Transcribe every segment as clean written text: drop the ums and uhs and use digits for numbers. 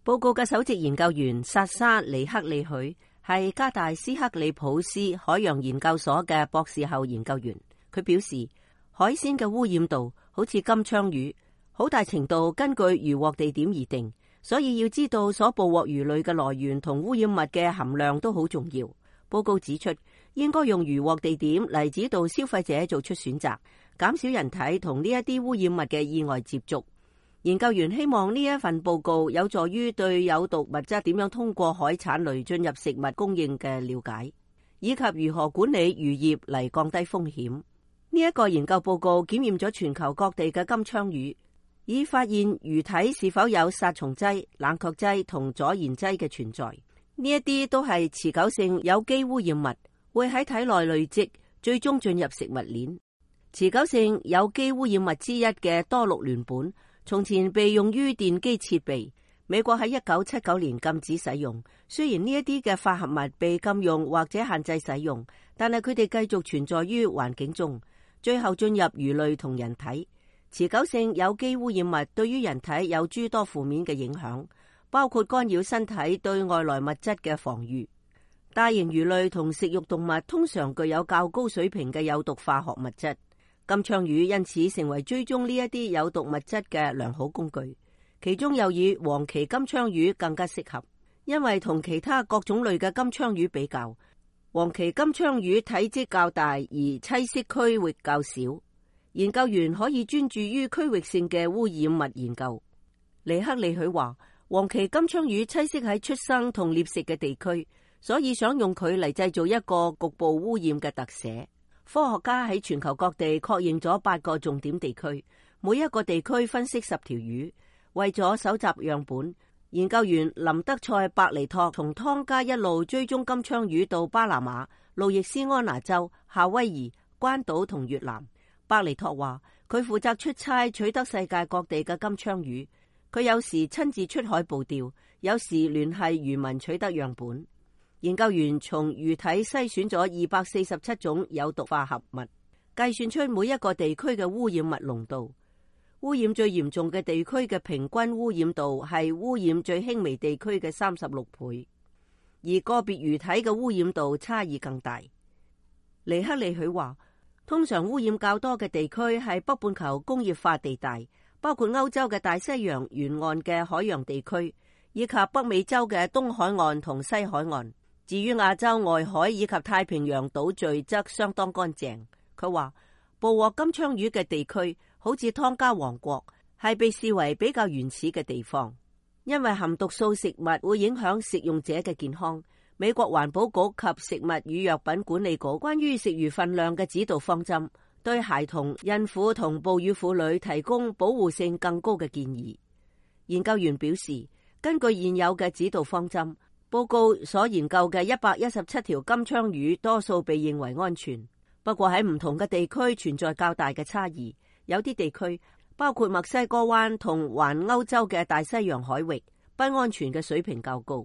報告嘅首席研究員薩沙尼克利許係加大斯克里普斯海洋研究所嘅博士後研究員。佢表示，海鮮嘅污染度好似金槍魚，好大程度根據漁獲地點而定，所以要知道所捕獲魚類嘅來源同污染物嘅含量都好重要。報告指出，應該用漁獲地點嚟指導消費者做出選擇，減少人體同呢一啲污染物嘅意外接觸。研究員希望呢一份報告有助於對有毒物質點樣通過海產類進入食物供應嘅了解，以及如何管理漁業嚟降低風險。呢一個研究報告檢驗咗全球各地嘅金槍魚，以發現魚體是否有殺蟲劑、冷卻劑同阻燃劑嘅存在。呢一啲都係持久性有機污染物，會喺體內累積，最終進入食物鏈。持久性有機污染物之一嘅多氯聯苯，從前被用於電機設備，美國喺1979年禁止使用。雖然呢一啲嘅化合物被禁用或者限制使用，但係佢哋繼續存在於環境中，最後進入魚類同人體。持久性有機污染物對於人體有諸多負面嘅影響，包括干擾身體對外來物質嘅防禦。大型魚類同食肉動物通常具有較高水平嘅有毒化學物質。金槍魚因此成為追蹤呢一啲有毒物質嘅良好工具，其中又以黃鰭金槍魚更加適合，因為同其他各種類嘅金槍魚比較，黃鰭金槍魚體積較大而棲息區域較少。研究員可以專注於區域性嘅污染物研究。尼克利許話，黃鰭金槍魚棲息喺出生同獵食嘅地區，所以想用佢嚟製造一個局部污染嘅特寫。科學家喺全球各地確認咗8個重點地區，每一個地區分析10條魚。為咗搜集樣本，研究員林德塞伯尼托從湯加一路追蹤金槍魚到巴拿馬、路易斯安那州、夏威夷、關島同越南。伯尼托話，佢負責出差取得世界各地嘅金槍魚，佢有時親自出海捕釣，有時聯繫漁民取得樣本。研究員從魚體篩選咗247種有毒化合物，計算出每一個地區嘅污染物濃度。污染最嚴重嘅地區嘅平均污染度係污染最輕微地區嘅36倍，而個別魚體嘅污染度差異更大。尼克利許話，通常污染較多嘅地區係北半球工業化地帶，包括歐洲嘅大西洋沿岸嘅海洋地區，以及北美洲嘅東海岸同西海岸。至於亞洲外海以及太平洋島嶼則相當乾淨。佢話，捕獲金槍魚嘅地區好似湯加王國，係被視為比較原始嘅地方，因為含毒素食物會影響食用者嘅健康。美國環保局及食物與藥品管理局關於食魚分量嘅指導方針，對孩童、孕婦同哺乳婦女提供保護性更高嘅建議。研究員表示，根據現有嘅指導方針，報告所研究嘅117條金槍魚多數被認為安全，不過喺唔同嘅地區存在較大嘅差異。有啲地區，包括墨西哥灣同環歐洲嘅大西洋海域，不安全嘅水平較高。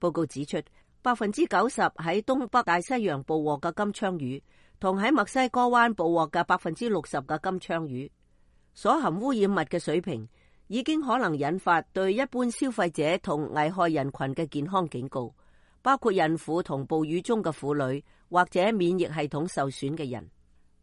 報告指出，90%喺東北大西洋捕獲嘅金槍魚，同喺墨西哥灣捕獲嘅60%嘅金槍魚，所含污染物嘅水平已經可能引發對一般消費者同危害人群嘅健康警告，包括孕婦同哺乳中嘅婦女或者免疫系統受損嘅人。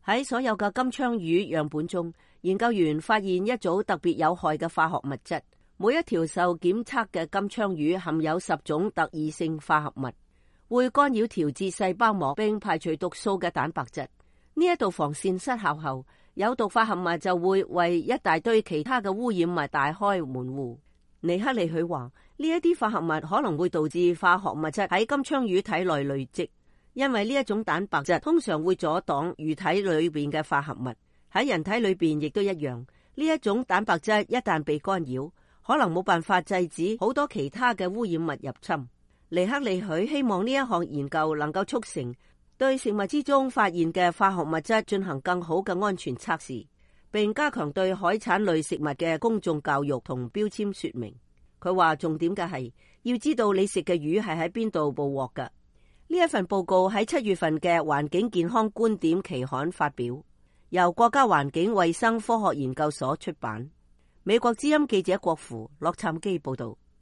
喺所有嘅金槍魚樣本中，研究員發現一組特別有害嘅化學物質。每一條受檢測嘅金槍魚含有10種特異性化合物，會干擾調節細胞膜並排除毒素嘅蛋白質。呢一道防線失效後，有毒化合物就會為一大堆其他嘅污染物大開門戶。尼克利許話，呢一啲化合物可能會導致化學物質喺金槍魚體內累積，因為呢一種蛋白質通常會阻擋魚體裏邊嘅化合物。喺人體裏邊亦都一樣，呢一種蛋白質一旦被干擾，可能冇辦法制止好多其他嘅污染物入侵。尼克利許希望呢一項研究能夠促成對食物之中發現嘅化學物質進行更好嘅安全測試，並加強對海產類食物嘅公眾教育同標籤說明。佢話重點嘅係要知道你食嘅魚係喺邊度捕獲㗎。呢一份報告喺7月份嘅環境健康觀點期刊發表，由國家環境衛生科學研究所出版。美國之音記者郭芙洛杉磯報道。